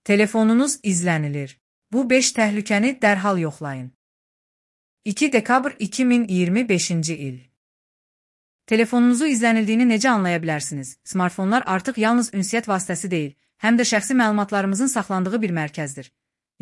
Telefonunuz izlənilir. Bu 5 təhlükəni dərhal yoxlayın. 2 dekabr 2025-ci il. Telefonunuzu izlənildiyini necə anlaya bilərsiniz? Smartfonlar artıq yalnız ünsiyyət vasitəsi deyil, həm də şəxsi məlumatlarımızın saxlandığı bir mərkəzdir.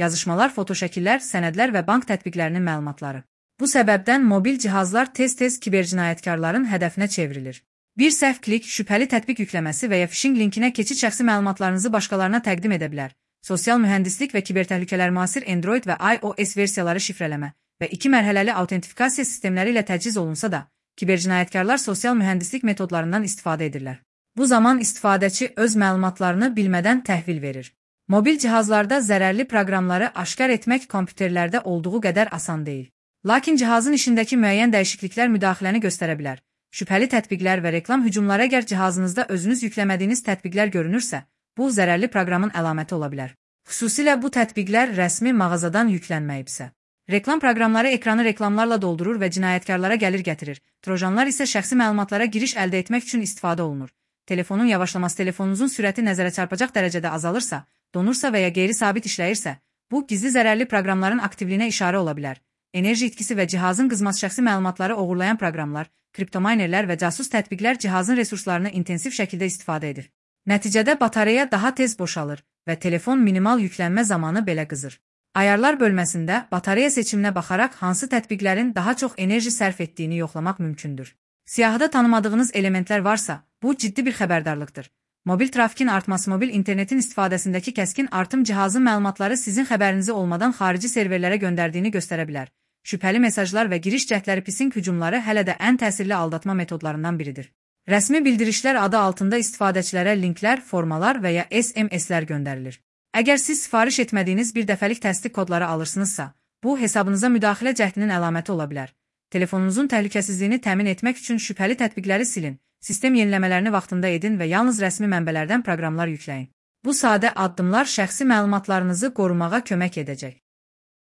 Yazışmalar, fotoşəkillər, sənədlər və bank tətbiqlərinin məlumatları. Bu səbəbdən mobil cihazlar tez-tez kibercinayətkarların hədəfinə çevrilir. Bir səhv klik, şübhəli tətbiq yükləməsi və ya phishing linkinə keçid şəxsi məlumatlarınızı başqalarına təqdim edə bilər. Sosial mühəndislik və kibertəhlükələr müasir Android və iOS versiyaları şifrələmə və 2 mərhələli autentifikasiya sistemləri ilə təchiz olunsa da, kibercinayətkarlar sosial mühəndislik metodlarından istifadə edirlər. Bu zaman istifadəçi öz məlumatlarını bilmədən təhvil verir. Mobil cihazlarda zərərli proqramları aşkar etmək kompüterlərdə olduğu qədər asan deyil. Lakin cihazın işindəki müəyyən dəyişikliklər müdaxiləni göstərə bilər. Şübhəli tətbiqlər və reklam hücumları əgər cihazınızda özünüz yükləmədiyiniz tətbiqlər görünürsə, bu zərərli proqramın əlaməti ola bilər. Xüsusilə bu tətbiqlər rəsmi mağazadan yüklənməyibsə. Reklam proqramları ekranı reklamlarla doldurur və cinayətkarlara gəlir gətirir. Trojanlar isə şəxsi məlumatlara giriş əldə etmək üçün istifadə olunur. Telefonun yavaşlaması, telefonunuzun sürəti nəzərə çarpacaq dərəcədə azalırsa, donursa və ya qeyri-sabit işləyirsə, bu gizli zərərli proqramların aktivliyinə işarə ola bilər. Enerji itkisi və cihazın qızması şəxsi məlumatları oğurlayan proqramlar, kriptomaynerlər və casus tətbiqlər cihazın resurslarını intensiv şəkildə istifadə edir. Nəticədə batareya daha tez boşalır və telefon minimal yüklənmə zamanı belə qızır. Ayarlar bölməsində batareya seçiminə baxaraq hansı tətbiqlərin daha çox enerji sərf etdiyini yoxlamaq mümkündür. Siyahıda tanımadığınız elementlər varsa, bu ciddi bir xəbərdarlıqdır. Mobil trafikin artması, mobil internetin istifadəsindəki kəskin artım cihazın məlumatları sizin xəbərinizi olmadan xarici serverlərə göndərdiyini göstərə bilər. Şübhəli mesajlar və giriş cəhdləri phishing hücumları hələ də ən təsirli aldatma metodlarından biridir. Rəsmi bildirişlər adı altında istifadəçilərə linklər, formalar və ya SMS-lər göndərilir. Əgər siz sifariş etmədiyiniz bir dəfəlik təsdiq kodları alırsınızsa, bu hesabınıza müdaxilə cəhdinin əlaməti ola bilər. Telefonunuzun təhlükəsizliyini təmin etmək üçün şübhəli tətbiqləri silin, sistem yeniləmələrini vaxtında edin və yalnız rəsmi mənbələrdən proqramlar yükləyin. Bu sadə addımlar şəxsi məlumatlarınızı qorumağa kömək edəcək.